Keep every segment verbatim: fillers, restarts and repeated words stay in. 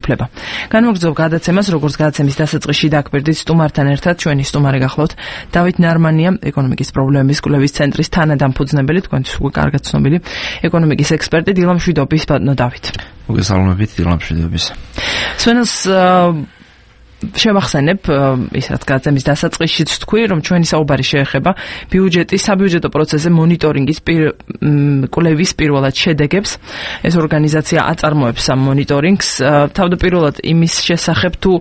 უფლება. განმოგრძობ გადაცემას, როგორც გადაცემის დასაწყისში დაგვერდით სტუმართან ერთად, ჩვენი სტუმარი გახლავთ დავით ნარმანია, ეკონომიკის პრობლემების კვლევის ცენტრის თანადამფუძნებელი, თქვენთვის უკვე კარგად ცნობილი ეკონომიკის ექსპერტი დილამშვიდობის ბატონო დავით. მოგესალმებით დილამშვიდობის. სვენელს შევახსენებ, ის რაც გადაცემის დასაწყისშიც თქვი, რომ ჩვენი საუბარი შეეხება ბიუჯეტის, საბიუჯეტო პროცესზე მონიტორინგის კვლევის პირველად შედეგებს. ეს ორგანიზაცია აწარმოებს ამ მონიტორინგს, თავდაპირველად იმის შესახებ თუ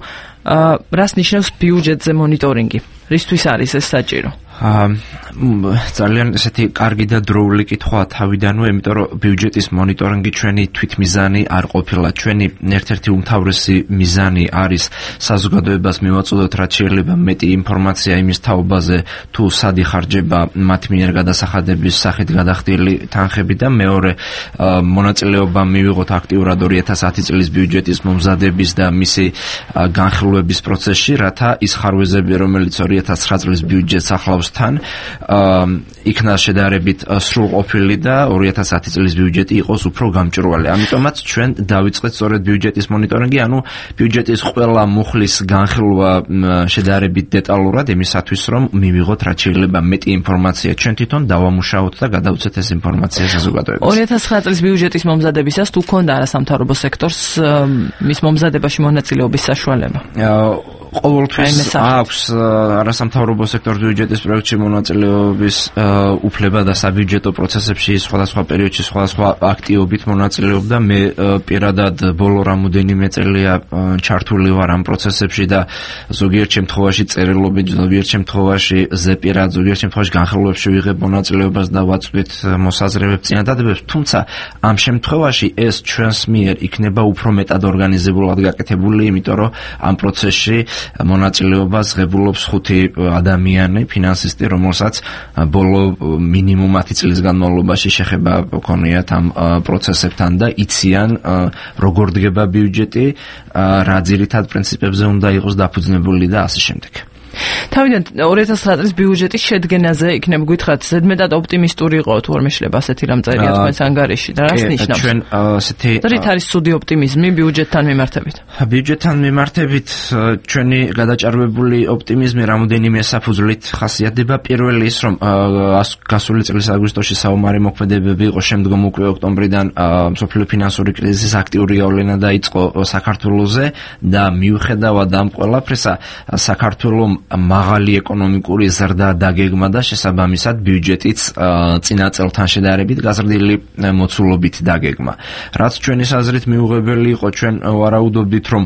რას ნიშნავს ბიუჯეტზე მონიტორინგი, რისთვის არის ეს საჭირო? ძალიან ესეთი კარგი და დროული კითხვა თავიდანვე, იმიტომ რომ ბიუჯეტის მონიტორინგი ჩვენი თვითმიზანი არ ყოფილა. ჩვენი ერთ-ერთი უმთავრესი მიზანი არის საზოგადოებას მივაწოდოთ, რაც შეიძლება მეტი ინფორმაცია იმის თაობაზე, თუ სად იხარჯება მათ მიერ გადასახადების სახით გადახდილი თანხები და მეორე მონაწილეობა მივიღოთ აქტიურად ორი ათას ათი წლის ბიუჯეტის მომზადების და მისი განხილვების პროცესში, რათა ის ხარვეზები, რომელიც ორი ათას ცხრა წლის ბიუჯეტს ახლავს თან იქნა შედარებით სრულყოფილი და ორი ათას ათი წლის ბიუჯეტი იყოს უფრო გამჭვირვალე. ამიტომაც ჩვენ დავიწყეთ სწორედ ბიუჯეტის მონიტორინგი, ანუ ბიუჯეტის ყველა მუხლის განხილვა შედარებით დეტალურად იმისათვის, რომ მივიღოთ რაც შეიძლება მეტი ინფორმაცია ჩვენ თვითონ დავამუშაოთ და გადავცეთ ეს ინფორმაცია საზოგადოებას. ორი ათას ცხრა წლის ბიუჯეტის მომზადებისას თუ ქონდა არასამთავრობო სექტორს მის მომზადებაში მონაწილეობის საშუალება? ყოველთვის აქვს არასამთავრობო სექტორის ბიუჯეტის პროექტში მონაწილეობის უფლება და საბიუჯეტო პროცესებში სხვადასხვა პერიოდში სხვადასხვა აქტივობით მონაწილეობდა. მე პირადად ბოლო რამოდენიმე წელია ჩართული ვარ ამ პროცესებში და ზოგიერთ შემთხვევაში წერილობით, ზოგიერთ შემთხვევაში ზეპირად, ზოგიერთ შემთხვევაში განხილვებში ვიღებ მონაწილეობას და ვაწვდით მოსაზრებებს, წინადადებებს, თუმცა ამ შემთხვევაში ეს ჩვენს მიერ იქნება უფრო მეტად ორგანიზებულად გაკეთებული, იმიტომ რომ ამ პროცესში მონაწილეობას ღებულობს ხუთი ადამიანი, ფინანსისტი, რომელსაც ბოლო მინიმუმ ათი წლის განმავლობაში შეხება ჰქონიათ ამ პროცესებთან და იციან როგორ დგება ბიუჯეტი, რა ძირითად პრინციპებზე უნდა იყოს დაფუძნებული და ასე შემდეგ. თავიდან ორი ათას ცხრა წლის ბიუჯეტის შედგენაზე იქნება გითხრათ, ზედმეტად ოპტიმისტური იყო თუ არ მეშლება ასეთი რამ წერია თქვენს ანგარიში და რას ნიშნავს? ჩვენ ასეთი რით არის ცუდი ოპტიმიზმი ბიუჯეტთან მიმართებით? ბიუჯეტთან მიმართებით ჩვენი გადაჭარბებული ოპტიმიზმი რამოდენიმე საფუძვლით ხასიათდება. პირველი ის, რომ გასული წლის აგვისტოში საომარი მოქმედებები იყო, შემდგომ უკვე ოქტომბრიდან მსოფლიო ფინანსური კრიზისის აქტიური გავლენა დაიწყო საქართველოზე და მიუხედავად ამ ყველაფრისა საქართველოს მაღალი ეკონომიკური ზრდა დაგეგმა და შესაბამისად ბიუჯეტიც წინა წელთან შედარებით გაზრდილი მოცულობით დაგეგმა. რაც ჩვენი აზრით მიუღებელი იყო, ჩვენ ვარაუდობდით, რომ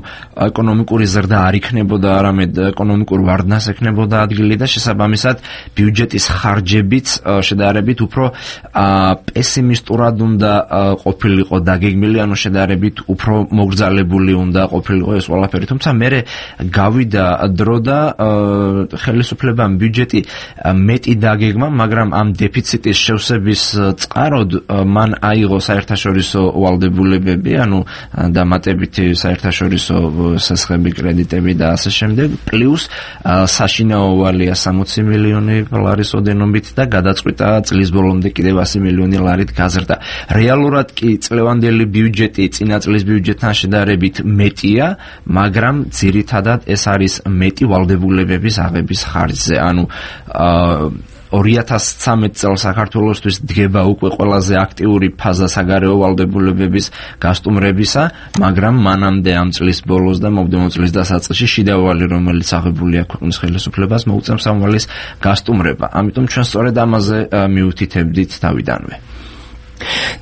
ეკონომიკური ზრდა არ იქნებოდა, არამედ ეკონომიკურ ვარდნას ექნებოდა ადგილი და შესაბამისად ბიუჯეტის ხარჯებიც შედარებით უფრო პესიმისტურად უნდა ყოფილიყო დაგეგმილი, ანუ შედარებით უფრო მოგრძალებული უნდა ყოფილიყო ეს ყველაფერი. თუმცა მერე გავიდა დრო და ხელისუფლებამ ბიუჯეტი მეტი დაგეგმა, მაგრამ ამ დეფიციტის შევსების წყაროდ მან აიღო საერთაშორისო ვალდებულებები, ანუ დამატებითი საერთაშორისო სესხები, კრედიტები და ასე შემდეგ, პლუს საშინაო ვალია სამოცი მილიონი დოლარის ოდენობით და გადაწყვიტა წლის ბოლომდე კიდევ ასი მილიონი ლარით გაზრდა. რეალურად კი წლევანდელი ბიუჯეტი წინა წლის ბიუჯეტთან შედარებით მეტია, მაგრამ ძირითადად ეს არის მეტი ვალდებულებების აღების ხარჯზე. ანუ ორი ათას ცხრამეტ წელს საქართველოსთვის დგება უკვე ყველაზე აქტიური ფაზა საგარეო ვალდებულებების გასტუმრებისა, მაგრამ მანამდე ამ წლის ბოლოს და მომდევნო წლის დასაწყისში შიდა ვალი, რომელიც აღებულია ქვეყნის ხელისუფლებას, მოუწევს ამ ვალის გასტუმრება. ამიტომ ჩვენ სწორედ ამაზე მივუთითებდით თავიდანვე.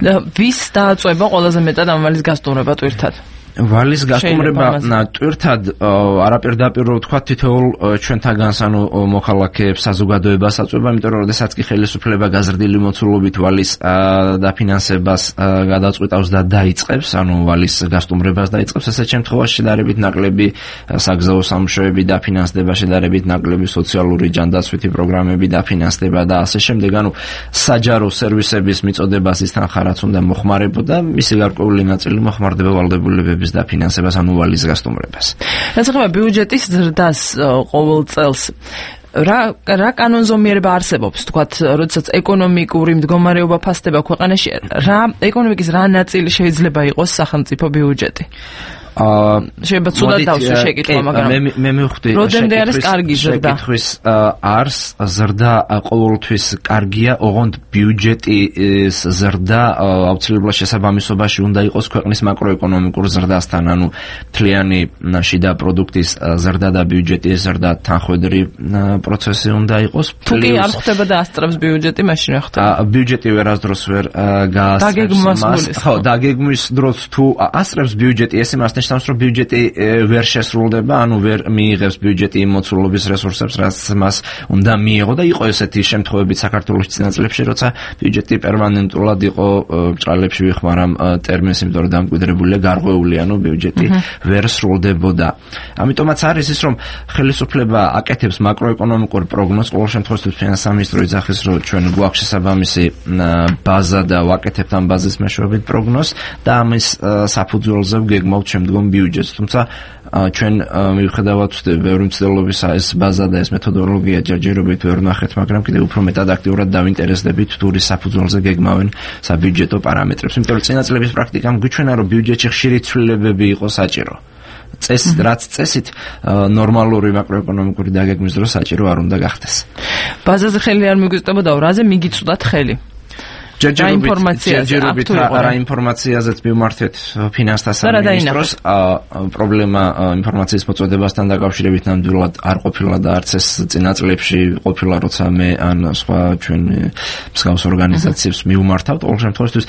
და ვის დააწვება ყველაზე მეტად ამ ვალის გასტუმრება ტვირთად? ვალის გასტუმრება ტვირთად არაპირდაპირ ვთქვა თითოეულ ჩვენთაგანს, ანუ მოქალაქეებს, საზოგადოებას აწვება, იმიტომ რომ როდესაც კი ხელისუფლება გაზრდილი მოცულობით ვალის დაფინანსებას გადაწყვეტავს და დაიწყებს, ანუ ვალის გასტუმრებას დაიწყებს, ესეთ შემთხვევაში შედარებით ნაკლები საგზაო სამუშაოები დაფინანსდება, შედარებით ნაკლები სოციალური ჯანდაცვითი პროგრამები დაფინანსდება და ასე შემდეგ, ანუ საჯარო სერვისების მიწოდებას ისთან ხარაც უნდა მოხმარებოდა, მისი გარკვეული ნაწილი მოხმარდება ვალდებულებების დაფინანსებას, ანუ ვალის გასტუმრებას. რაც ახლა ბიუჯეტის ზრდას ყოველ წელს რა რა კანონზომიერება არსებობს, თქვათ, როდესაც ეკონომიკური მდგომარეობა ფასდება ქვეყანაში, რა ეკონომიკის რა ნაწილი შეიძლება იყოს სახელმწიფო ბიუჯეტი? შეიძლება ცუდად დავსვი შეკითხვა, მაგრამ მე მე მივხვდი რამდენად არის კარგი ზრდა? შეკითხვის არს ზრდა ყოველთვის კარგია, ოღონდ ბიუჯეტის ზრდა აუცილებლად შესაბამისობაში უნდა იყოს ქვეყნის მაკროეკონომიკურ ზრდასთან, ანუ მთლიანი შიდა პროდუქტის ზრდა და ბიუჯეტის ზრდა თანხვედრი პროცესი უნდა იყოს. თუ კი არ ხდება და ასწრებს ბიუჯეტი, მაშინ რა ხდება? ბიუჯეტი ვერასდროს ვერ გაასწრებს მას. ხო, დაგეგმვის დროს თუ ასწრებს ბიუჯეტი, ეს იმას ნიშნავს, რომ ბიუჯეტი ვერ შესრულდება, ანუ ვერ მიიღებს ბიუჯეტი იმ მოცულობის რესურსებს, რაც მას უნდა მიიღო და იყო ესეთი შემთხვევები საქართველოს წინა წლებში, როცა ბიუჯეტი პერმანენტულად იყო ბრალებში ვიხმარამ ტერმინს, იმიტომ რომ დამკვიდრებულია გარღვეული, ანუ ბიუჯეტი ვერ სრულდებოდა. ამიტომაც არის ის, რომ ხელისუფლება აკეთებს მაკროეკონომიკურ პროგნოზს, ყოველ შემთხვევაში ფინანსთა მინისტრო იძახის, რომ ჩვენ გვაქვს შესაბამისი ბაზა და ვაკეთებთ ამ ბაზის მეშვეობით პროგნოზს და ამის საფუძველზე ვგეგმავთ შემდგომ ბიუჯეტს. თუმცა ჩვენ მიუხედავად ბევრი მცდელობისა ეს ბაზა და ეს მეთოდოლოგია ჯერჯერობით ვერ ვნახეთ, მაგრამ კიდევ უფრო მეტად აქტიურად დავინტერესდებით თუ რის საფუძველზე გეგმავენ საბიუჯეტო პარამეტრებს. იმიტომ რომ წინა წლების პრაქტიკამ გვიჩვენა, რომ ბიუჯეტში ხშირი ცვლილებები იყო საჭირო. წესი რაც წესით ნორმალური მაკროეკონომიკური დაგეგმვის დროს საჭირო არ უნდა გახდეს. ბაზაზე ხელი არ მიგვიწევდა, რაზე მიგიწვდათ ხელი? ჯერჯერობით რა ინფორმაციაზეც მივმართეთ ფინანსთა სამინისტროს, პრობლემა ინფორმაციის მოწოდებასთან დაკავშირებით ნამდვილად არ ყოფილა და არც ეს წინა წლებში ყოფილა, როცა მე ან სხვა ჩვენ მსგავს ორგანიზაციებს მივმართავთ. ყოველ შემთხვევაში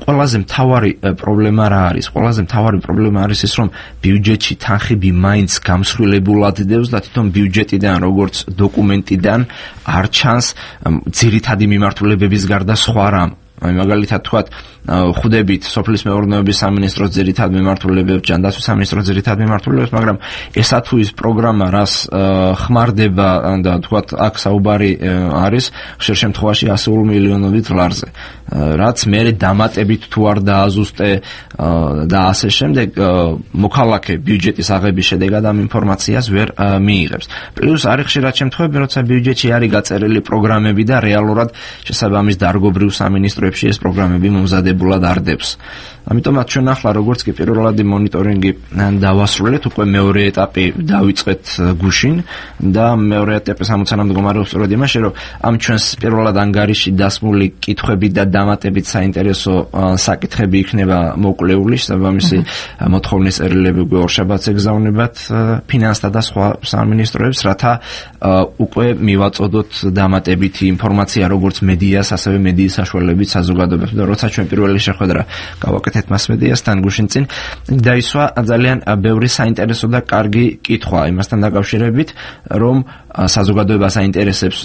ყველაზე მთავარი პრობლემა რა არის? ყველაზე მთავარი პრობლემა არის ის, რომ ბიუჯეტში თანხები მაინც გამსხვილებულად დევს და თვითონ ბიუჯეტიდან, როგორც დოკუმენტიდან არ ჩანს ძირითადი მიმართულებების გარდა სხვა რამ. აი მაგალითად თქვათ, ხვდებით სოფლის მეურნეობის სამინისტროს ძირითად მიმართულებებს, ჯანდაცვის სამინისტროს ძირითად მიმართულებებს, მაგრამ ესა თუ ის პროგრამა, რას ხმარდება და თქვათ აქ საუბარი არის ხშირ შემთხვევაში ასეულ მილიონობით დოლარზე, რაც მე დამატებით თუ არ დააზუსტე და ასე შემდეგ, მოქალაქე ბიუჯეტის აღების შედეგად ამ ინფორმაციას ვერ მიიღებს. პლუს არის ხშირად შემთხვევები, როცა ბიუჯეტში არის გაწერილი პროგრამები და რეალურად შესაბამის დარგობრივ სამინისტროებში ეს პროგრამები მომზადებულად არ დებს. ამიტომაც ჩვენ ახლა როგორც კი პირველადი მონიტორინგი დავასრულეთ, უკვე მეორე ეტაპი დავიწყეთ გუშინ და მეორე ეტაპის ამოცანა მდგომარეობს სწორედ იმაში, რომ ამ ჩვენს პირველად ანგარიში დასმული კითხვები და დამატებით საინტერესო საკითხები იქნება მოკვლეული, შესაბამისი მოთხოვნის წერილები უკვე ორშაბათს ეგზავნებათ ფინანსთა და სხვა სამინისტროებს, რათა უკვე მივაწოდოთ დამატებითი ინფორმაცია როგორც მედიას, ასევე მედიის საშუალებით საზოგადოებებს. და როცა ჩვენ პირველი შეხვედრა გავაკეთეთ მასმედიასთან გუშინ წინ, დაისვა ძალიან ბევრი საინტერესო და კარგი კითხვა იმასთან დაკავშირებით, რომ საზოგადოებას აინტერესებს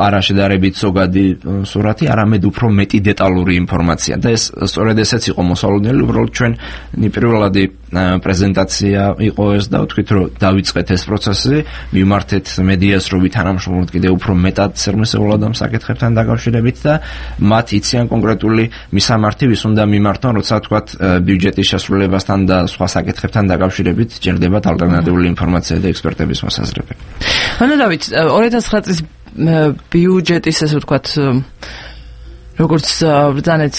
არა შედარებით ზოგადი სურათი, არამედ უფრო მეტი დეტალური ინფორმაცია. და ეს სწორედ ესეც იყო მოსალოდნელი, უბრალოდ ჩვენ პირველადი პრეზენტაცია იყო ეს და ვთქვით, რომ დავიწყეთ ეს პროცესი, მივმართეთ მედიას, რომ ვითანამშრომლოთ კიდევ უფრო მეტად სერმესეულად ამ საკითხებთან დაკავშირებით და მათ იციან კონკრეტული მისამართი, ვის უნდა მიმართონ, როცა თქვათ ბიუჯეტის შესრულებასთან და სხვა საკითხებთან დაკავშირებით ჭირდებათ ალტერნატიული ინფორმაცია და ექსპერტების მოსაზრებები. ანუ დავით, ორი ათას ცხრა წლის ბიუჯეტის ესე ვთქვათ, როგორც ბრძანეთ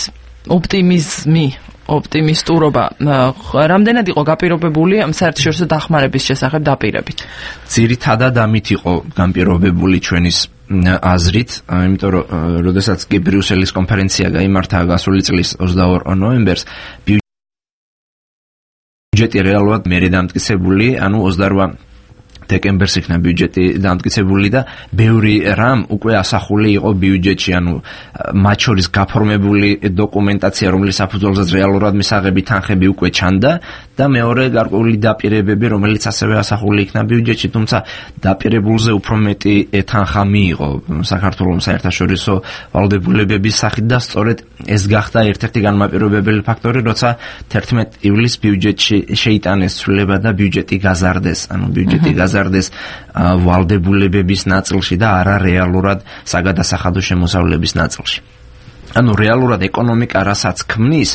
ოპტიმიზმი, ოპტიმისტურობა, რამდენად იყო გაპირობებული ამ საერთაშორისო დახმარების შესახებ დაპირებით? ძირითადად ამით იყო განპირობებული ჩვენის აზრით, იმიტომ რომ როდესაც კი ბრიუსელის კონფერენცია გაიმართა გასული წლის ოცდაორ ნოემბერს, ბიუჯეტი რეალურად მერე დამტკიცებული, ანუ ოცდარვა დეკემბერს იქნა ბიუჯეტი დამტკიცებული და ბევრი რამ უკვე ასახული იყო ბიუჯეტში, ანუ მათ შორის გაფორმებული დოკუმენტაცია, რომლის საფუძველზეც რეალურად მისაღები თანხები უკვე ჩანდა და მეორე გარკვეული დაპირებები, რომელიც ასევე ასახული იქნა ბიუჯეტში, თუმცა დაპირებულზე უფრო მეტი თანხა მიიღო საქართველოს საერთაშორისო ვალდებულებების სახით და სწორედ ეს გახდა ერთ-ერთი განმაპირობებელი ფაქტორი, როცა თერთმეტ ივლისს ბიუჯეტში შეიტანეს ცვლილება და ბიუჯეტი გაზარდეს, ანუ ბიუჯეტი გაზარდეს ვალდებულებების ნაწილში და არა რეალურად საგადასახადო შემოსავლების ნაწილში. ანუ რეალურად ეკონომიკა რასაც ქმნის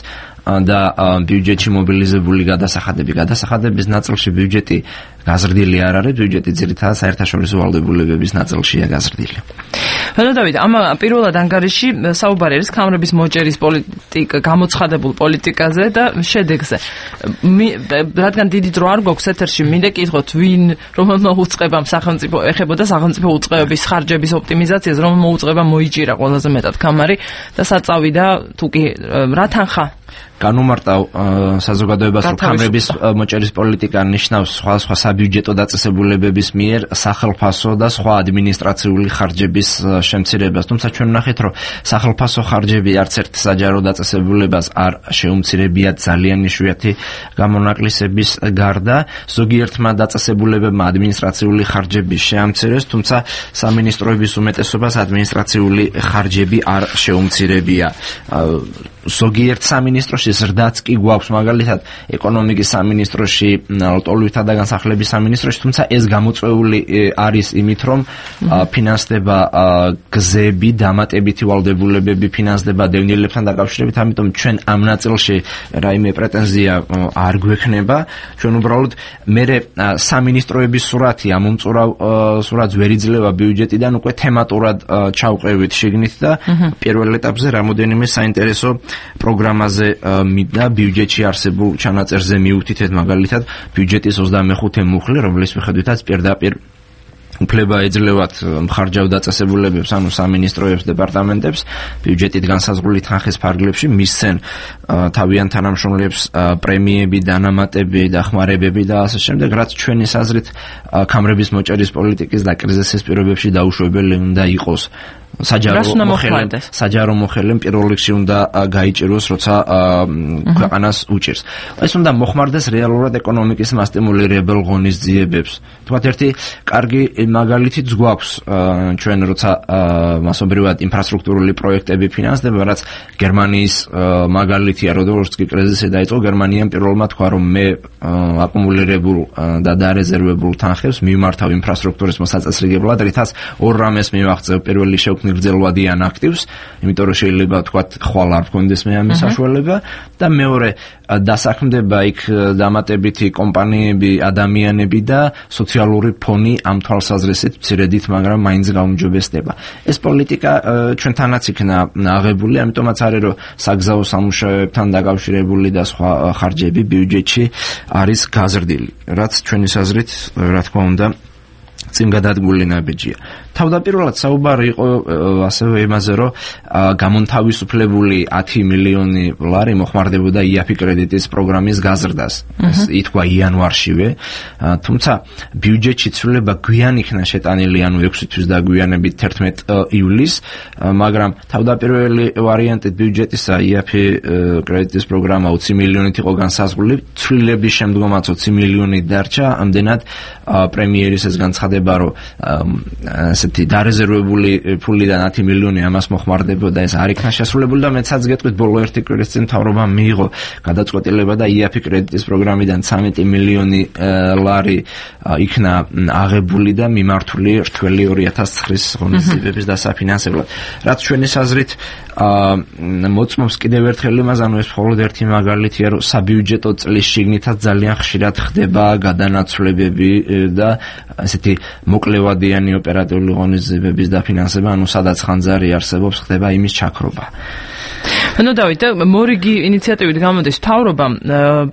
და ბიუჯეტში მობილიზებული გადასახადები, გადასახადების ნაწილში ბიუჯეტი გაზრდილი არ არის, ბიუჯეტი ძირითადად საერთაშორისო ვალდებულებების ნაწილშია გაზრდილი. ანუ დავით, ამ პირველად ანგარიში საუბარი არის ქამრების მოჭერის პოლიტიკა, გამოცხადებულ პოლიტიკაზე და შედეგზე. რადგან დიდი დრო არ გვაქვს ეთერში, მინდა კითხოთ, ვინ რომელმა უწყებამ სახელმწიფო ეხებოდა სახელმწიფო უწყებების ხარჯების ოპტიმიზაციას, რომელმა უწყებამ მოიჭირა ყველაზე მეტად ქამარი და საწავიდა თუ კი რა თანხა განუმარტავ საზოგადოებას, რომ ქამრების მოჭერის პოლიტიკა ნიშნავს სხვადასხვა საბიუჯეტო დაწესებულებების მიერ სახელმფასო და სხვა ადმინისტრაციული ხარჯების შემცირებას. თუმცა ჩვენ ვნახეთ, რომ სახელმფასო ხარჯები არც ერთ საჯარო დაწესებულებას არ შეუმცირებიათ ძალიან იშვიათი გამონაკლისების გარდა. ზოგიერთმა დაწესებულებებმა ადმინისტრაციული ხარჯები შეამცირეს, თუმცა სამინისტროების უმეტესობას ადმინისტრაციული ხარჯები არ შეუმცირებია. ზოგიერთ სამინისტროში ზრდაც კი გვაქვს, მაგალითად ეკონომიკის სამინისტროში, ლტოლვილთა და განსახლების სამინისტროში, თუმცა ეს გამოწვეული არის იმით, რომ ფინანსდება გზები, დამატებითი ვალდებულებები ფინანსდება დევნილებთან დაკავშირებით, ამიტომ ჩვენ ამ ნაწილში რაიმე პრეტენზია არ გვექნება. ჩვენ უბრალოდ მერე სამინისტროების სურათი ამ უმწურავ სურათს ვერ იძლევა ბიუჯეტიდან, უკვე თემატურად ჩავყევით შიგნით და პირველ ეტაპზე რამოდენიმე საინტერესო პროგრამაზე და ბიუჯეტში არსებულ ჩანაწერზე მივუთითეთ, მაგალითად ბიუჯეტის ოცდამეხუთე მუხლი, რომლის მიხედვითაც პირდაპირ უფლება ეძლევათ მხარჯავ დაწესებულებებს, ანუ სამინისტროებს, დეპარტამენტებს ბიუჯეტით განსაზღვრული თანხის ფარგლებში მისცენ თავიანთ თანამშრომლებს პრემიები, დანამატები, დახმარებები და ასე შემდეგ, რაც ჩვენი აზრით ქამრების მოჭერის პოლიტიკის და კრიზისის პირობებში დაუშვებელი უნდა იყოს. საჯარო მოხელემ საჯარო მოხელემ პირველ რიგში უნდა გაიჭიროს, როცა ქვეყანას უჭირს. ეს უნდა მოხმარდეს რეალურად ეკონომიკის მასტიმულირებელ ღონისძიებებს. თქვათ ერთი კარგი მაგალითიც გვაქვს ჩვენ, როცა მასობრივად ინფრასტრუქტურული პროექტები ფინანსდება, რაც გერმანიის მაგალითია, როგორც კი კრიზისი დაიწყო, გერმანიამ პირველმა თქვა, რომ მე აკუმულირებულ და დარეზერვებულ თანხებს მიმართავ ინფრასტრუქტურის მოსაწესრიგებლად, რითაც ორ რამეს მივაღწევ. პირველი შეუქმნი გრძელვადიან აქტივს, იმიტომ რომ შეიძლება თქვათ ხვალ არ გქონდეს მე ამის საშუალება და მეორე დასაქმდება იქ დამატებითი კომპანიები, ადამიანები და სოციალური ფონი ამ თვალსაზრისით მცირედით, მაგრამ მაინც გაუმჯობესდება. ეს პოლიტიკა ჩვენთანაც იქნა აღებული, ამიტომაც არის, რომ საგზაო სამუშაოებთან დაკავშირებული და სხვა ხარჯები ბიუჯეტში არის გაზრდილი, რაც ჩვენი აზრით, რა თქმა უნდა, წინ გადადგმული ნაბიჯია. თავდაპირველად საუბარი იყო ასევე იმაზე, რომ გამონთავისუფლებული ათი მილიონი ლარი მოხმარდებოდა იაფი კრედიტის პროგრამის გაზრდას. ეს ითქვა იანვარშივე, თუმცა ბიუჯეტში ცვლილება გვიან იქნა შეტანილი, ანუ ექვსი თვის დაგვიანებით თერთმეტ ივლისს, მაგრამ თავდაპირველი ვარიანტით ბიუჯეტისა იაფი კრედიტის პროგრამა ოცი მილიონით იყო განსაზღვრული, ცვლილების შემდგომაც ოცი მილიონი დარჩა, ამდენად პრემიერის ეს განცხადება, რომ ესეთი დარეზერვებული ფულიდან ათი მილიონი ამას მოხმარდებოდა, ეს არ იქნა შესრულებული და მეცაც გეტყვით, ბოლო ერთი კვირის წინ მთავრობამ მიიღო გადაწყვეტილება და იაფი კრედიტის პროგრამიდან ცამეტი მილიონი ლარი იქნა აღებული და მიმართული რთველი ორი ათას ცხრის ღონისძიებების დასაფინანსებლად. რაც ჩვენი აზრით მოწმობს კიდევ ერთხელ იმას, ანუ ეს მხოლოდ ერთი მაგალითია, რომ საბიუჯეტო წლის შიგნითაც ძალიან ხშირად ხდება გადანაცვლებები და ესეთი მოკლევადიანი ოპერატიული ღონისძიებების დაფინანსება, ანუ სადაც ხანძარი არსებობს, ხდება იმის ჩაქრობა. ანუ დავით, მორიგი ინიციატივით გამოდის მთავრობამ,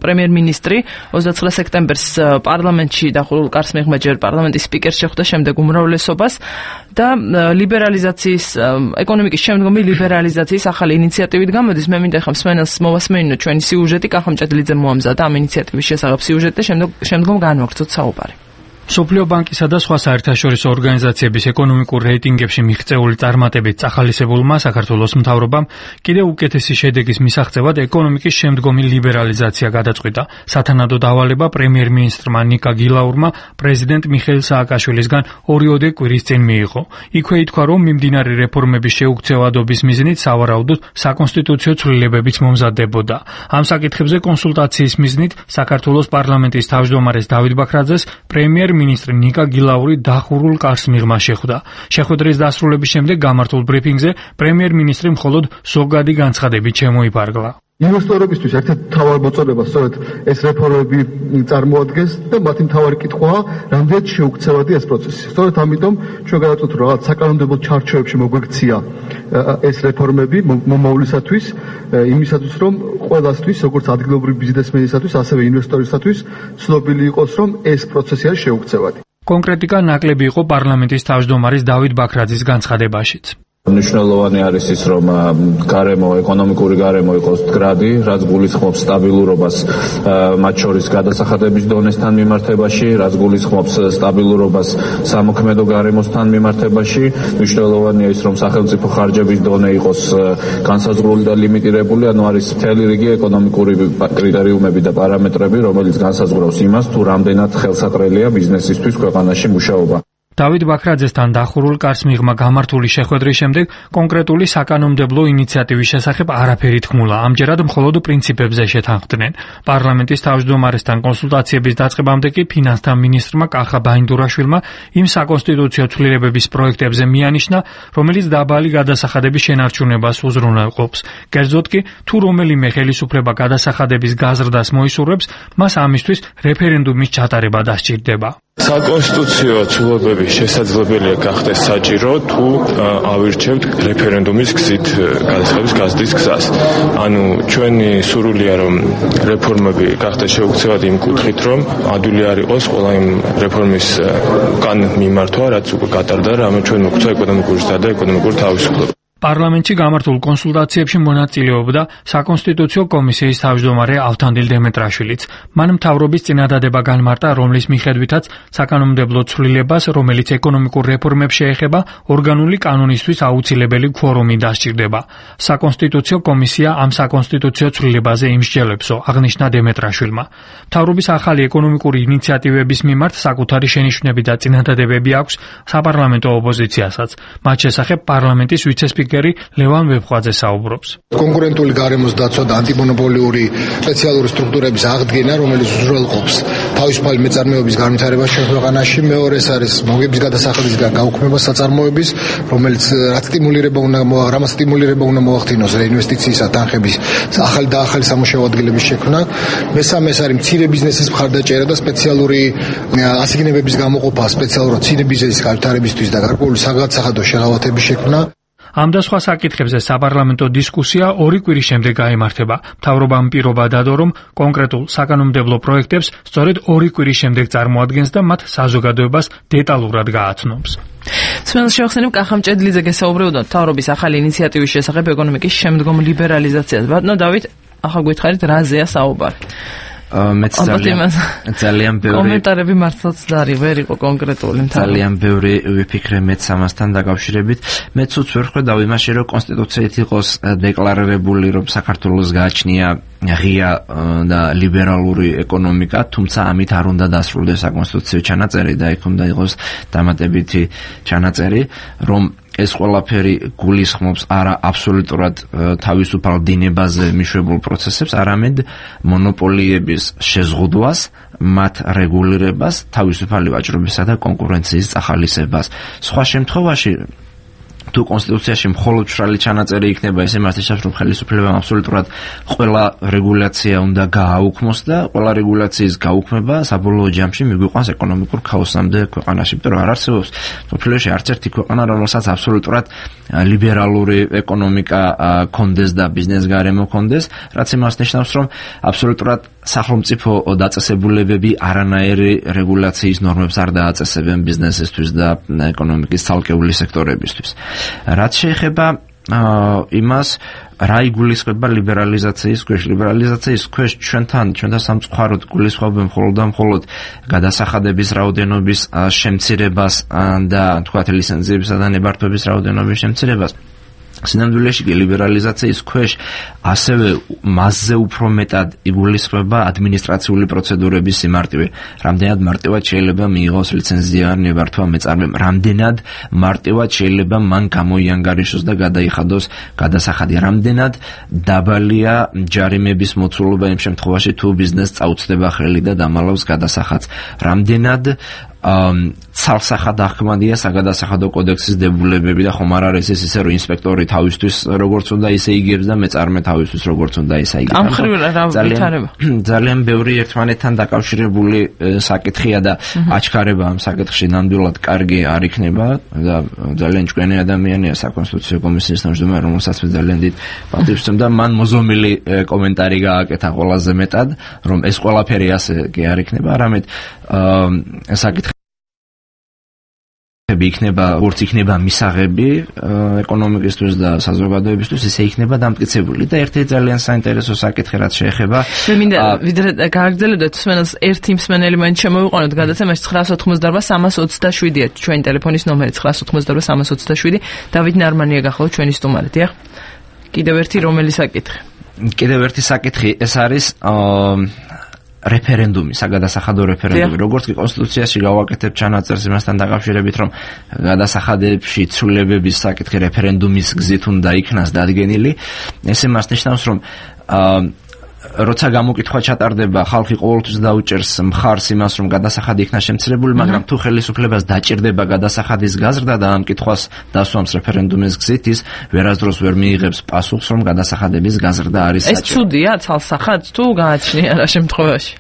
პრემიერ-მინისტრი ოცდაცხრე სექტემბერს პარლამენტში დახურულ კარს მიღმა ჯერ პარლამენტის სპიკერს შეხვდა, შემდეგ უმრავლესობას და ლიბერალიზაციის, ეკონომიკის შემდგომი ლიბერალიზაციის ახალი ინიციატივით გამოდის. მე მინდა ხა მსმენელს მოვასმენინო ჩვენი სიუჟეტი, კახამჭედლიძე მოამზადა ამ ინიციატივის შესახებ სიუჟეტი და შემდგომ შემდგომ განვაგრძოთ საუბარი. მსოფლიო ბანკისა და სხვა საერთაშორისო ორგანიზაციების ეკონომიკურ რეიტინგებში მიღწეული წარმატებით წახალისებულმა საქართველოს მთავრობამ კიდევ უკეთესი შედეგის მისაღწევად ეკონომიკის შემდგომი ლიბერალიზაცია გადაწყვიტა. სათანადო დავალება პრემიერ-მინისტრმა ნიკა გილაურმა პრეზიდენტ მიხეილ სააკაშვილისგან ორიოდე კვირის წინ მიიღო. იქვე ითქვა, რომ მიმდინარე რეფორმების შეუქცევადობის მიზნით სავარაუდოდ საკონსტიტუციო ცვლილებებიც მომზადდებოდა. ამ საკითხებზე კონსულტაციის მიზნით საქართველოს პარლამენტის თავმჯდომარეს დავით ბაქრაძეს პრემიერ მინისტრი ნიკა გილაური დახურულ კარს მიღმა შეხვდა. შეხვედრის დასრულების შემდეგ გამართულ ბრიფინგზე პრემიერ-მინისტრი მხოლოდ ზოგადი განცხადებით შემოიფარგლა. ინვესტორებისთვის ერთ-ერთი მთავარი მოწონება სწორედ ეს რეფორმები წარმოადგენს და მათი მთავარი კითხვაა, რამდენად შეუქცევადი ეს პროცესი. სწორედ ამიტომ ჩვენ გადავწყვეტ, რომ რაღაც საკანონმდებლო ჩარჩოებში მოგვექცია ეს რეფორმები მომავლისათვის, იმისათვის, რომ ყველასთვის, როგორც ადგილობრივი ბიზნესმენისათვის, ასევე ინვესტორისათვის ცნობილი იყოს, რომ ეს პროცესი არის შეუქცევადი. კონკრეტიკა ნაკლები იყო პარლამენტის თავმჯდომარის დავით ბაქრაძის განცხადებაშიც. მნიშვნელოვანი არის ის, რომ გარემო, ეკონომიკური გარემო იყოს მდგრადი, რაც გულისხმობს სტაბილურობას მათ შორის გადასახადების დონესთან მიმართებაში, რაც გულისხმობს სტაბილურობას სამოქმედო გარემოსთან მიმართებაში. მნიშვნელოვანია ის, რომ სახელმწიფო ხარჯების დონე იყოს განსაზღვრული და ლიმიტირებული, ანუ არის მთელი რიგი ეკონომიკური კრიტერიუმები და პარამეტრები, რომელიც განსაზღვრავს იმას, თუ რამდენად ხელსაყრელია ბიზნესისთვის ქვეყანაში მუშაობა. დავით ბაქრაძესთან დახურულ კარს მიღმა გამართული შეხვედრის შემდეგ კონკრეტული საკანონმდებლო ინიციატივის შესახებ არაფერი თქმულა. ამჯერად მხოლოდ პრინციპებზე შეთანხმდნენ. პარლამენტის თავმჯდომარესთან კონსულტაციების დაწყებამდე კი ფინანსთა მინისტრმა კახა ბაინდურაშვილმა იმ საკონსტიტუციო ცვლილებების პროექტებზე მიანიშნა, რომელიც დაბალი გადასახადების შენარჩუნებას უზრუნველყოფს. კერძოდ კი, თუ რომელიმე ხელისუფლება გადასახადების გაზრდას მოისურვებს, მას ამისთვის რეფერენდუმის ჩატარება დასჭირდება. საკონსტიტუციო ცვლილებები შესაძლებელია გახდეს საჭირო, თუ ავირჩევთ რეფერენდუმის გზით გადასახადების გაზრდის გზას. ანუ ჩვენი სურვილია, რომ რეფორმები გახდეს შეუქცევადი იმ კუთხით, რომ ადვილი არ იყოს ყველა იმ რეფორმის კან მიმართვა, რაც უკვე გატარდა, რამე ჩვენ მოგვცა ეკონომიკური და ეკონომიკური თავისუფლება. პარლამენტში გამართულ კონსულტაციებში მონაწილეობდა საკონსტიტუციო კომისიის თავმჯდომარე ავთანდილ დემეტრაშვილიც. მან მთავრობის წინადადება განმარტა, რომლის მიხედვითაც საკანონმდებლო ცვლილებას, რომელიც ეკონომიკურ რეფორმებს შეეხება, ორგანული კანონისთვის აუცილებელი ქუორუმი დასჭირდება. საკონსტიტუციო კომისია ამ საკონსტიტუციო ცვლილებაზე იმსჯელებსო, აღნიშნა დემეტრაშვილმა. მთავრობის ახალი ეკონომიკური ინიციატივების მიმართ საკუთარი შენიშვნები და წინადადებები აქვს საპარლამენტო ოპოზიციასაც. მათ შესახებ პარლამენტის ვიცე-სპიკერი ლევან ვეფხვაძე საუბრობს. კონკურენტული გარემოს დაცვა და ანტიმონოპოლიური სპეციალური სტრუქტურების აღდგენა, რომელიც უზრუნველყოფს თავისუფალი მეწარმეობის განვითარებას ჩვენ ქვეყანაში. მეორე ეს არის მოგების გადასახადებისგან გაუქმება საწარმოების, რომელიც რაც სტიმულირება უნდა რამაც სტიმულირება უნდა მოახდინოს რეინვესტიციისა თანხების ახალი და ახალი სამუშაო ადგილების შექმნა. მესამე ეს არის მცირე ბიზნესის მხარდაჭერა და სპეციალური ასიგნებების გამოყოფა სპეციალურად მცირე ბიზნესის განვითარებისთვის და გარკვეული საგადასახადო შეღავათების შექმნა. ამ და სხვა საკითხებზე საპარლამენტო დისკუსია ორი კვირის შემდეგ გაიმართება. მთავრობამ პირობა დადო, რომ კონკრეტულ საკანონმდებლო პროექტებს სწორედ ორი კვირის შემდეგ წარმოადგენს და მათ საზოგადოებას დეტალურად გააცნობს. სმენელს შევახსენებ, კახა მჭედლიძე გესაუბრებოდა მთავრობის ახალი ინიციატივის შესახებ ეკონომიკის შემდგომ ლიბერალიზაციას. ბატონო დავით, ახლა გითხარით რაზეა საუბარი? მეც ძალიან ძალიან ბევრი კომენტარები მართლაც დარი ვერ იყო კონკრეტული. ძალიან ბევრი ვიფიქრე მეც ამასთან დაკავშირებით. მეც უც ვერ ხედავ იმაში, რომ კონსტიტუციით იყოს დეკლარირებული, რომ საქართველოს გააჩნია ღია და ლიბერალური ეკონომიკა, თუმცა ამით არ უნდა დასრულდეს საკონსტიტუციო ჩანაწერი და იქ უნდა იყოს დამატებითი ჩანაწერი, რომ ეს ყველაფერი გულისხმობს არა აბსოლუტურად თავისუფალ დინებაზე მიშვებულ პროცესებს, არამედ მონოპოლიების შეზღუდვას, მათ რეგულირებას, თავისუფალი ვაჭრობისა და კონკურენციის წახალისებას. სხვა შემთხვევაში თუ კონსტიტუციაში მხოლოდ მშრალი ჩანაწერი იქნება, ეს იმართებს, რომ ხელისუფლებამ აბსოლუტურად ყველა რეგულაცია უნდა გააუქმოს და ყველა რეგულაციის გაუქმება საბოლოო ჯამში მიგვიყვანს ეკონომიკურ ქაოსამდე ქვეყანაში, იმიტომ რომ არ არსებობს მსოფლიოში არც ერთი ქვეყანა, რომელსაც აბსოლუტურად ლიბერალური ეკონომიკა კონდეს და ბიზნეს გარემო კონდეს, რაც იმას ნიშნავს, რომ აბსოლუტურად სახელმწიფო დაწესებულებები არანაირი რეგულაციის ნორმებს არ დააწესებენ ბიზნესისთვის და ეკონომიკის ცალკეული სექტორებისთვის. რაც შეეხება იმას, რა იგულისხმება ლიბერალიზაციის ქვეშ. ლიბერალიზაციის ქვეშ ჩვენთან, ჩვენთან სამწუხაროდ გულისხმობენ მხოლოდ და მხოლოდ გადასახადების რაოდენობის შემცირებას და თქვათ ლიცენზიებისა და ნებართვების რაოდენობის შემცირებას. სინამდვილეში კი ლიბერალიზაციის ქვეშ ასევე მასზე უფრო მეტად იგულისხმება ადმინისტრაციული პროცედურების სიმარტივე. რამდენად მარტივად შეიძლება მიიღოს ლიცენზია ნებართვა მეწარმემ, რამდენად მარტივად შეიძლება მან გამოიანგარიშოს და გადაიხადოს გადასახადი, რამდენად დაბალია ჯარიმების მოცულობა იმ შემთხვევაში თუ ბიზნესს წაუწდება ხელი და დამალავს გადასახადს, რამდენად ცალსახად ახმადია საგადასახადო კოდექსის დებულებები და ხომ არ არის ეს ისე რომ ინსპექტორი თავისთვის როგორც უნდა ისე იგებს და მეწარმე თავისთვის როგორც უნდა ისე იგებს. ამ ხრივ რა ვითარება? ძალიან ბევრი ერთმანეთთან დაკავშირებული საკითხია და აჩქარება ამ საკითხში ნამდვილად კარგი არ იქნება და ძალიან ჭკვიანი ადამიანია საკონსტიტუციო კომისიის თავმჯდომარე, რომელსაც მე ძალიან დიდ პატივს ვცემ და მან მოზომილი კომენტარი გააკეთა ყველაზე მეტად, რომ ეს ყველაფერი ასე კი არ იქნება, არამედ საკითხი იქნება, როგორც იქნება მისაღები ეკონომიკისთვის და საზოგადოებისთვის, ისე იქნება დამტკიცებული და ერთი ძალიან საინტერესო საკითხი რაც შეეხება. მე მინდა ვიდრე გააგრძელებდეთ მსმენელს ერთი მსმენელი მაინც შემოვიყვანოთ გადაცემაში ცხრაას ოთხმოცდაარბა სამას ოცდაშვიდია ჩვენი ტელეფონის ნომერი ცხრაას ოთხმოცდაარბა სამას ოცდაშვიდი. დავით ნარმანია გახლავთ ჩვენი სტუმარი, დიახ. კიდევ ერთი რომელი საკითხი? კიდევ ერთი საკითხი ეს არის რეფერენდუმი, საგადასახადო რეფერენდუმი. როგორც კი კონსტიტუციაში გავაკეთებ ჩანაწერს იმასთან დაკავშირებით, რომ გადასახადებში ცვლილებების საკითხი რეფერენდუმის გზით უნდა იქნას დადგენილი, ეს იმას ნიშნავს, რომ როცა გამოკითხვა ჩატარდება, ხალხი ყოველთვის დაუჭერს მხარს იმას, რომ გადასახადი იქნა შემცირებული, მაგრამ თუ ხელისუფლებას დაჭირდება გადასახადის გაზრდა და ამ კითხვას დასვამს რეფერენდუმის გზით, ის ვერასდროს ვერ მიიღებს პასუხს, რომ გადასახადების გაზრდა არის საჭირო. ეს ცუდია ცალსახადს თუ გააჩნია რა შემთხვევაში?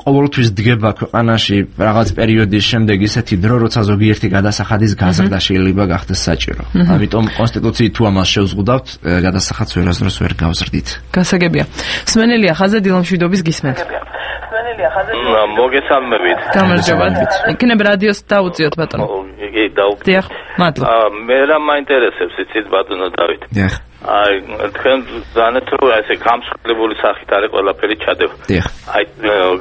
ყოველთვის დგება ქვეყანაში რაღაც პერიოდის შემდეგ ისეთი დრო, როცა ზოგიერთი გადასახადის გაზრდა შეიძლება გახდეს საჭირო. ამიტომ კონსტიტუციით თუ ამას შევზღუდავთ, გადასახადს ვერასდროს ვერ გავზრდით. გასაგებია. მსმენელია ხაზზე დილამშვიდობის გისმენთ. მსმენელია ხაზზე მოგესალმებით. გამარჯობა. იქნებ რადიოს დაუწიოთ ბატონო. იგი დაუწიოთ. დიახ, მადლობა. მე რა მაინტერესებს იცით ბატონო დავით? დიახ. აი, თქვენ ზანეთ რომ ესე გამსხლებული სახით არის ყველაფერი ჩადება. დიახ. აი,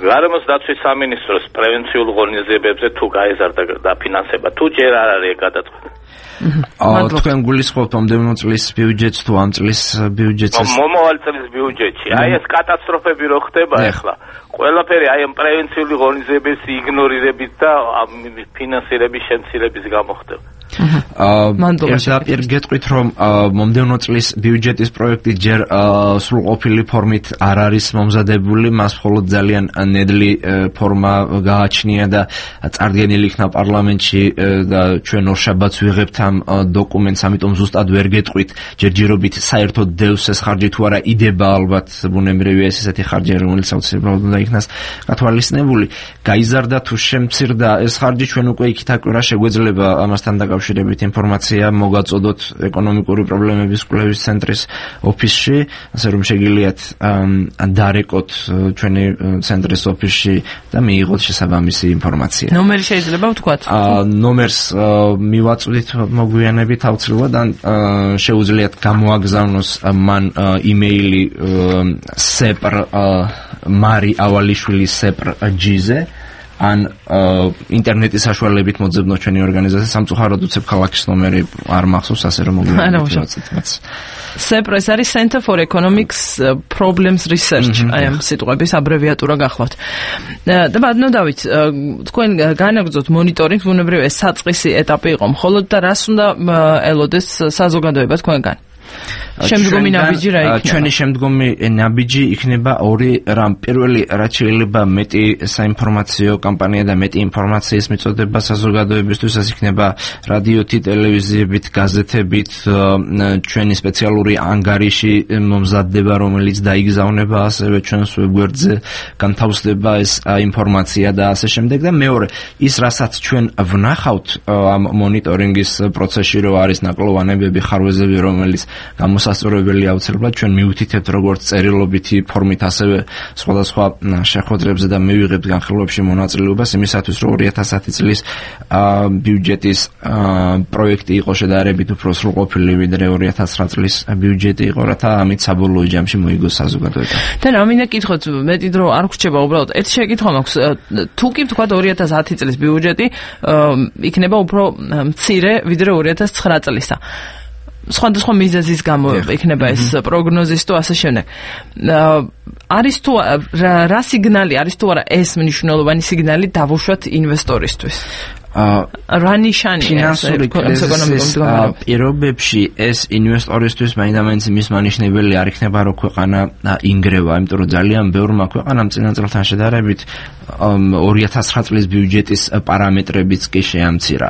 გარემოს დაცვის სამინისტროს პრევენციულ ღონისძიებებზე თუ გაეზარდა დაფინანსება, თუ ჯერ არ არის გადაწყვეტილი. აა თქვენ გულისხმობთ მომდევნო წლის ბიუჯეტს თუ ამ წლის ბიუჯეტს? მომავალ წლის ბიუჯეტში. აი ეს კატასტროფები რო ხდება ახლა. ყველაფერი აი ამ პრევენციული ღონისძიებების იგნორირებით და ფინანსირების შემცირების გამო ხდება. აა პირ გეტყვით რომ მომდევნო წლის ბიუჯეტის პროექტი ჯერ სრულყოფილი ფორმით არ არის მომზადებული, მას მხოლოდ ძალიან ნედლი ფორმა გააჩნია და წარდგენილი იქნა პარლამენტში და ჩვენ ორშაბათს ვიღებთ ამ დოკუმენტს, ამიტომ ზუსტად ვერ გეტყვით ჯერჯერობით საერთოდ დევს ეს ხარჯი თუ არა იდება, ალბათ ბუნებრივია ეს ესეთი ხარჯი, რომელიც აუცილებლად უნდა იქნას გათვალისწინებული. გაიზარდა თუ შემცირდა ეს ხარჯი, ჩვენ უკვე იქით აკვირა შეგვეძლება ამასთან დაკავშირებით ინფორმაცია მოგაწოდოთ ეკონომიკური პრობლემების კვლევის ცენტრის ოფისში, ასე რომ შეგიძლიათ დარეკოთ ჩვენი ცენტრის ოფისში და მიიღოთ შესაბამისი ინფორმაცია. ნომერი შეიძლება ვთქვათ? ნომერს მივაწვდით მოგვიანებით აუცილებლად, ან შეუძლიათ გამოაგზავნოს მან იმეილი sepr mari avalishvili sepr gz ან ინტერნეტის საშუალებით მოძებნოთ ჩვენი ორგანიზაცია. სამწუხაროდ უცებ ქალაქის ნომერი არ მახსოვს, ასე რომ მოგვიყვებით. sepr ეს არის Center for Economics Problems Research, აი ამ სიტყვების აბრევიატურა გახლავთ. და ბატონო დავით, თქვენ განაგრძოთ მონიტორინგს, ბუნებრივია ეს საწყისი ეტაპი იყო მხოლოდ და რას უნდა ელოდეს საზოგადოება თქვენგან? შემდგომი ნაბიჯი რა იქნება? ჩვენი შემდგომი ნაბიჯი იქნება ორი რამ. პირველი, რაც შეიძლება მეტი საინფორმაციო კამპანია და მეტი ინფორმაციის მიწოდება საზოგადოებისთვის, ეს იქნება რადიოთი, ტელევიზიებით, გაზეთებით, ჩვენი სპეციალური ანგარიში მომზადდება, რომელიც დაიგზავნება ასევე ჩვენს ვებგვერდზე, განთავსდება ეს ინფორმაცია და ასე შემდეგ. და მეორე, ის რასაც ჩვენ ვნახავთ ამ მონიტორინგის პროცესში, რომ არის ნაკლოვანებები, ხარვეზები, რომელიც გამოსასწორებელი აუცილებლად ჩვენ მივუთითებთ როგორც წერილობითი ფორმით, ასევე სხვადასხვა შეხვედრებზე და მივიღებთ განხილვებში მონაწილეობას იმისათვის, რომ ორი ათას ათი წლის ბიუჯეტის პროექტი იყო შედარებით უფრო სრულყოფილი, ვიდრე ორი ათას ცხრა წლის ბიუჯეტი იყო, რათა ამით საბოლოო ჯამში მოიგოს საზოგადოება. და რა მინდა გითხოთ, მეტი დრო არ გრჩება უბრალოდ. ერთი შეკითხვა მაქვს, თუ კი ვთქვათ ორი ათას ათი წლის ბიუჯეტი იქნება უფრო მცირე, ვიდრე ორი ათას ცხრა წლისა. სხვადასხვა მიზეზის გამო იქნება ეს პროგნოზის თუ ასე შემდეგ. არის თუ რა სიგნალი არის თუ არა ეს მნიშვნელოვანი სიგნალი დავუშვათ ინვესტორისთვის? რა ნიშანია ფინანსური კრიზისის პირობებში ეს ინვესტორისთვის მაინდამაინც მის მანიშნებელი არ იქნება რომ ქვეყანა ინგრევა, იმიტომ რომ ძალიან ბევრმა ქვეყანამ წინა წელთან შედარებით ორი ათას ცხრა წლის ბიუჯეტის პარამეტრებიც კი შეამცირა.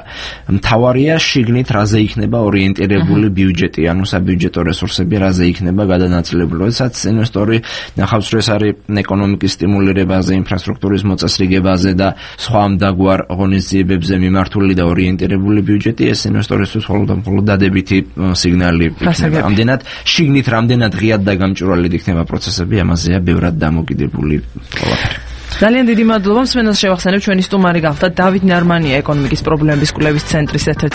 მთავარია შიგნით რაზე იქნება ორიენტირებული ბიუჯეტი, ანუ საბიუჯეტო რესურსები რაზე იქნება გადანაწილებული. როდესაც ინვესტორი ნახავს რომ ეს არის ეკონომიკის სტიმულირებაზე, ინფრასტრუქტურის მოწესრიგებაზე და სხვა ამდაგვარ ღონისძიებებზე მიმართული და ორიენტირებული ბიუჯეტი, ეს ინვესტორისთვის მხოლოდ და მხოლოდ დადებითი სიგნალი იქნება. ამდენად შიგნით რამდენად ღიად და გამჭვირვალედ იქნება პროცესები, ამაზეა ბევრად დამოკიდებული ყველაფერი. ძალიან დიდი მადლობა. მსმენელს შევახსენებ, ჩვენი სტუმარი გახდა დავით ნარმანია, ეკონომიკის პრობლემების კვლევის ცენტრის ერთ-ერთი